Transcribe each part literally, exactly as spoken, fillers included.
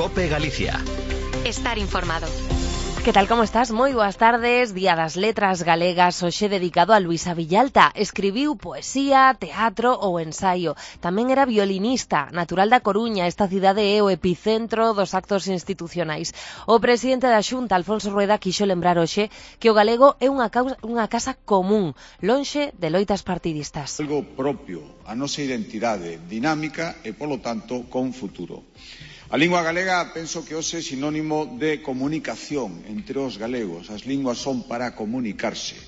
COPE Galicia. Estar informado. Que tal, como estás? Moi boas tardes. Día das Letras Galegas, hoxe dedicado a Luisa Villalta. Escribiu poesía, teatro ou ensaio. Tamén era violinista, natural da Coruña. Esta cidade é o epicentro dos actos institucionais. O presidente da Xunta, Alfonso Rueda, quixo lembrar hoxe que o galego é unha, causa, unha casa común, lonxe de loitas partidistas. Algo propio, a nosa identidade dinámica e, polo tanto, con futuro. A lingua galega penso que hoxe é sinónimo de comunicación entre os galegos. As linguas son para comunicarse,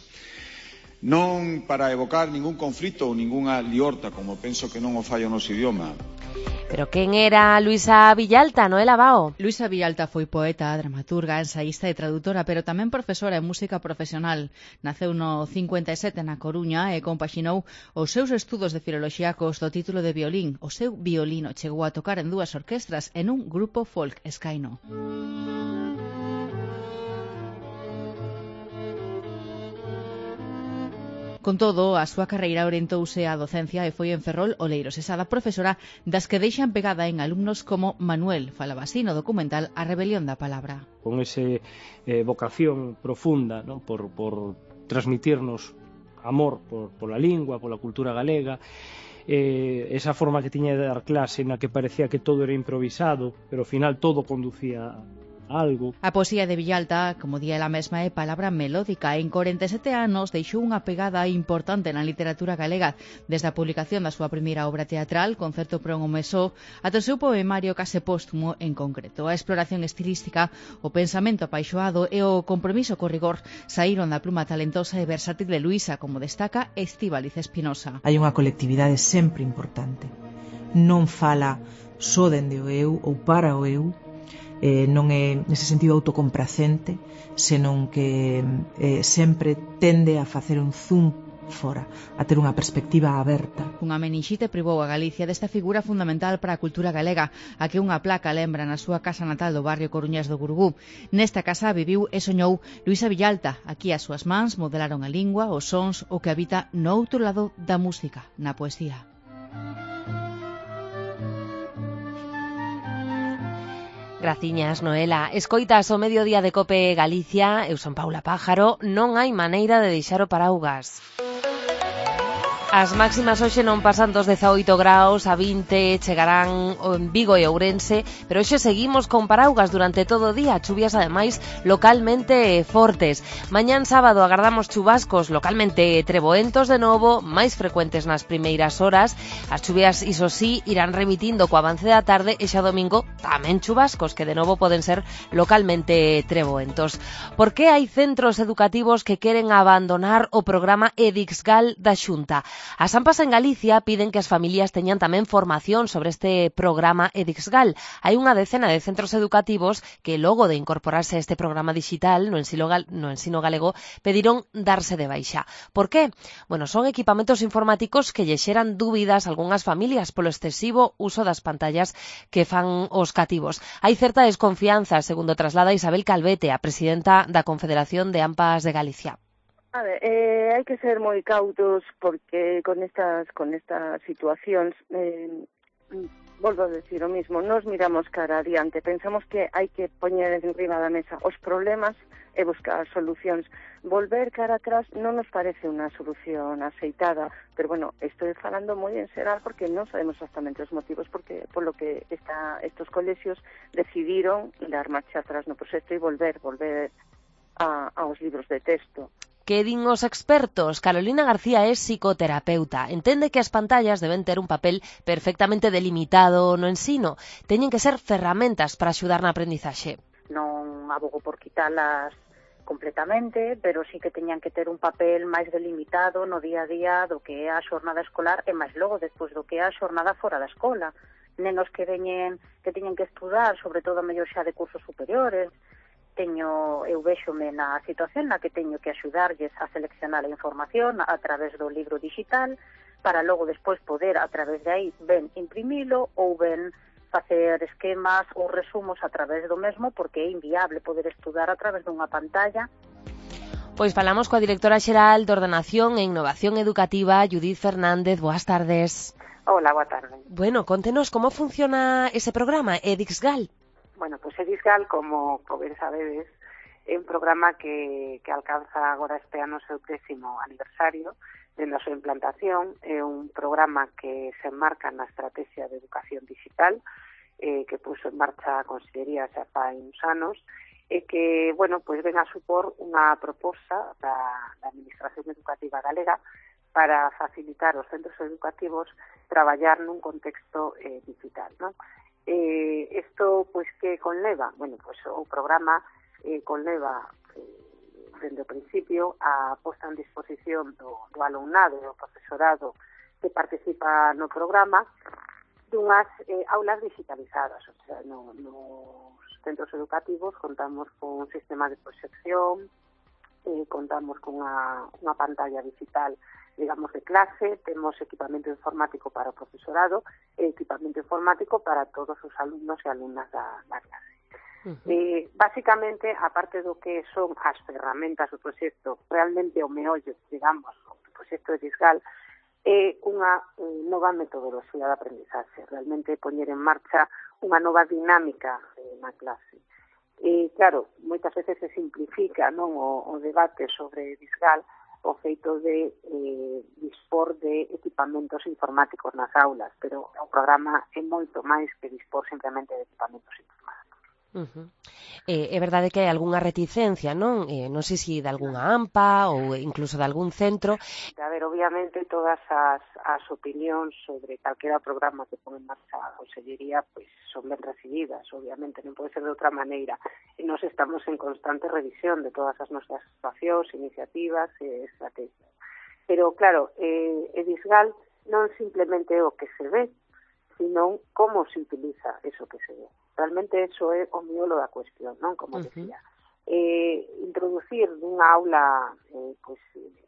non para evocar ningún conflito ou ningunha liorta, como penso que non o fai o noso idioma. Pero quen era Luisa Villalta, Noela Bao? Luisa Villalta foi poeta, dramaturga, ensaísta e traductora, pero tamén profesora en música profesional. Naceu no cincuenta e sete na Coruña e compaxinou os seus estudos de filoloxía cos do título de violín. O seu violino chegou a tocar en dúas orquestras en un grupo folk escaino. Con todo, a súa carreira orientouse á docencia e foi en Ferrol, Oleiros, esa da profesora das que deixan pegada en alumnos como Manuel, falaba así no documental A rebelión da palabra. Con ese eh, vocación profunda, ¿no? por, por transmitirnos amor por, por la lingua, pola cultura galega, eh, esa forma que tiña de dar clase na que parecía que todo era improvisado, pero ao final todo conducía algo. A poesía de Villalta, como di ela mesma, é palabra melódica. En corenta e sete anos deixou unha pegada importante na literatura galega, desde a publicación da súa primeira obra teatral, Concerto para un home só, ata o seu poemario case póstumo en concreto. A exploración estilística, o pensamento apaixoado e o compromiso co rigor saíron da pluma talentosa e versátil de Luisa, como destaca Estíbaliz Espinosa. Hai unha colectividade sempre importante. Non fala só dende o eu ou para o eu, Eh, non é nese sentido autocompracente, senón que eh, sempre tende a facer un zoom fora, a ter unha perspectiva aberta. Unha menixite privou a Galicia desta figura fundamental para a cultura galega, a que unha placa lembra na súa casa natal do barrio coruñés do Gurugú. Nesta casa viviu e soñou Luisa Villalta. Aquí as súas mans modelaron a lingua, os sons, o que habita no outro lado da música, na poesía. Graciñas, Noela. Escoitas o mediodía de COPE Galicia, eu son Paula Pájaro, non hai maneira de deixar o paraugas. As máximas hoxe non pasan dos dezaoito graus, a vinte chegarán en Vigo e Ourense, pero hoxe seguimos con paraugas durante todo o día, chuvias ademais localmente fortes. Mañán sábado agardamos chubascos localmente treboentos de novo, máis frecuentes nas primeiras horas. As chuvias, iso sí, irán remitindo co avance da tarde e xa domingo tamén chubascos, que de novo poden ser localmente treboentos. Por que hai centros educativos que queren abandonar o programa EDIXGAL da Xunta? As AMPAs en Galicia piden que as familias teñan tamén formación sobre este programa EDIXGAL. Hai unha decena de centros educativos que logo de incorporarse a este programa digital no ensino, gal, no ensino galego pediron darse de baixa. Por qué? Bueno, son equipamentos informáticos que lle xeran dúbidas a algunhas familias polo excesivo uso das pantallas que fan os cativos. Hai certa desconfianza, segundo traslada Isabel Calvete, a presidenta da Confederación de AMPAs de Galicia. A ver, eh, hai que ser moi cautos porque con estas con estas situacións, eh, volvo a decir o mismo, nos miramos cara adiante, pensamos que hai que poñer enriba da mesa os problemas e buscar solucións. Volver cara atrás non nos parece unha solución aceitada, pero bueno, estou falando moi en xeral porque non sabemos exactamente os motivos porque polo que esta, estos colexios decidiron dar marcha atrás no proxecto e volver, volver a, aos libros de texto. Que din os expertos? Carolina García é psicoterapeuta. Entende que as pantallas deben ter un papel perfectamente delimitado no ensino. Teñen que ser ferramentas para axudar na aprendizaxe. Non abogo por quitalas completamente, pero sí que teñan que ter un papel máis delimitado no día a día do que é a xornada escolar e máis logo despois do que é a xornada fora da escola. Nenos que veñen, que teñen que estudar, sobre todo a mellor xa de cursos superiores, teño, eu véxome na situación na que teño que axudarlles a seleccionar a información a través do libro digital para logo despois poder a través de aí ben imprimilo ou ben facer esquemas ou resumos a través do mesmo porque é inviable poder estudar a través dunha pantalla. Pois falamos coa directora xeral de Ordenación e Innovación Educativa, Judith Fernández. Boas tardes. Hola, boa tarde. Bueno, contenos como funciona ese programa EDIXGAL. Bueno, pois Edisgal, como, como ben sabedes, é un programa que, que alcanza agora este ano o seu décimo aniversario dende a súa implantación. É un programa que se enmarca na estrategia de educación digital eh, que puso en marcha a Consellería xa fai uns anos e que, bueno, pois ven a supor unha proposta da, da Administración Educativa Galega para facilitar aos centros educativos traballar nun contexto eh, digital, non? Eh, isto, pois, que conleva? Bueno, pois o programa eh, conleva eh, dende o principio a posta en disposición do, do alumnado e do profesorado que participa no programa dunhas eh, aulas digitalizadas, o sea, no, nos centros educativos contamos con un sistema de proxección, eh, contamos con unha, unha pantalla digital, digamos, de clase, temos equipamento informático para o profesorado e equipamento informático para todos os alumnos e alumnas da, da clase. Uh-huh. Eh, básicamente, aparte do que son as ferramentas do proxecto, realmente o meollo, digamos, o proxecto de Edisgal, é unha eh, nova metodoloxía de aprendizaxe, realmente poñer en marcha unha nova dinámica eh, na clase. E, claro, moitas veces se simplifica, non, o, o debate sobre Edisgal, o feito de eh, dispor de equipamentos informáticos nas aulas, pero o programa é moito máis que dispor simplemente de equipamentos informáticos. Uh-huh. Eh, é verdade que hai algunha reticencia, non? Eh, non sei se de algunha AMPA ou incluso de algún centro. A ver, obviamente todas as, as opinións sobre calquera programa que pon en marcha a Consellería pois son ben recibidas, obviamente, non pode ser de outra maneira. E nós estamos en constante revisión de todas as nosas situacións, iniciativas e estrategias. Pero, claro, eh, Edisgal non simplemente é o que se ve, sino como se utiliza eso que se ve. Realmente eso é o miolo da cuestión, non? Como uh-huh. decía. Eh, introducir nunha aula eh, pues,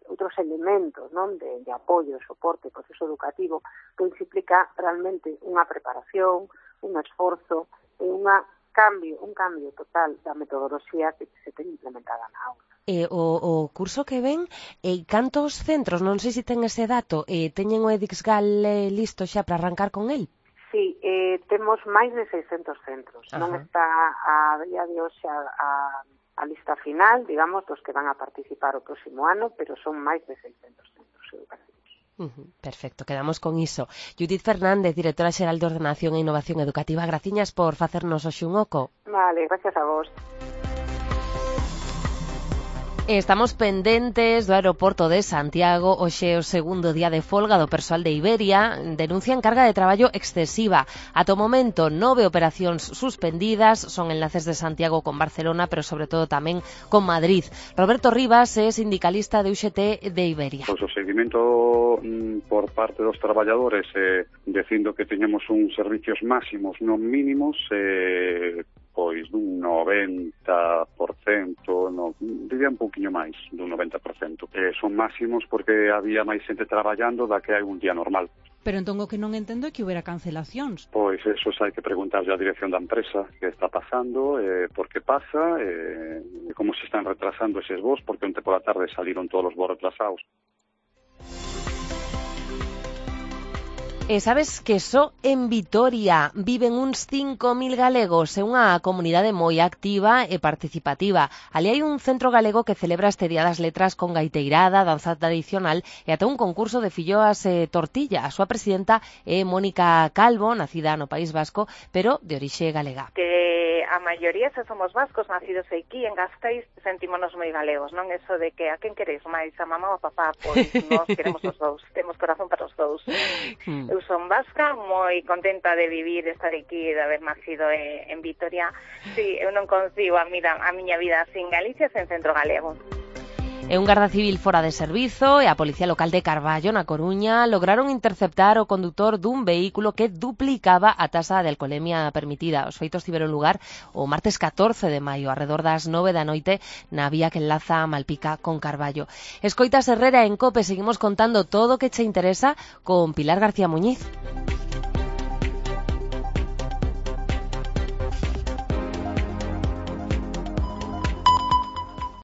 outros elementos, non? De, de apoio, soporte, proceso educativo, pois implica realmente unha preparación, un esforzo e unha cambio, un cambio total da metodoloxía que se ten implementada na aula. Eh, o, o curso que ven, eh, cantos centros, non sei se ten ese dato, eh, teñen o Edisgal eh, listo xa para arrancar con el? Sí, eh, temos máis de seiscentos centros. Ajá. Non está a día de hoxe a, a, a lista final, digamos, dos que van a participar o próximo ano, pero son máis de seiscentos centros educativos. Uh-huh, perfecto, quedamos con iso. Judith Fernández, directora xeral de Ordenación e Innovación Educativa, graciñas por facernos hoxe un oco. Vale, gracias a vos. Estamos pendentes do aeroporto de Santiago. Hoxe o segundo día de folga do persoal de Iberia. Denuncian carga de traballo excesiva. Ata o momento, nove operacións suspendidas. Son enlaces de Santiago con Barcelona, pero sobre todo tamén con Madrid. Roberto Rivas é sindicalista de U X T de Iberia. Pois o seguimento mm, por parte dos traballadores eh, dicindo que teñamos uns servicios máximos, non mínimos, eh, pois dun noventa por cento, no, diría un pouquiño máis, dun noventa por cento. Eh, son máximos porque había máis xente traballando da que hai un día normal. Pero entón o que non entendo é que houbera cancelacións. Pois eso hai que preguntarlle á dirección da empresa que está pasando, eh, por que pasa, eh, como se están retrasando eses voos, porque onte pola tarde saliron todos os voos retrasados. E sabes que só en Vitoria viven uns cinco mil galegos, é unha comunidade moi activa e participativa. Ali hai un centro galego que celebra este Día das Letras con gaiteirada, danza tradicional e ata un concurso de filloas e tortilla. A súa presidenta é Mónica Calvo, nacida no País Vasco, pero de orixe galega. Que a maioría se somos vascos, nacidos aquí en Gasteiz, sentímonos moi galegos, non? Eso de que a quen queréis máis, a mamá ou a papá, pois nós queremos os dous, temos corazón para os dous. Hmm. Eu son vasca, moi contenta de vivir, de estar aquí, de haber nacido en Vitoria. Sí, eu non consigo a, mira, a miña vida sin Galicia, sen centro galego. E un garda civil fora de servizo e a Policía Local de Carballo, na Coruña, lograron interceptar o condutor dun vehículo que duplicaba a taxa de alcoholemia permitida. Os feitos tiveron lugar o martes catorce de maio, arredor das nove da noite, na vía que enlaza Malpica con Carballo. Escoitas Herrera en COPE, seguimos contando todo o que che interesa con Pilar García Muñiz.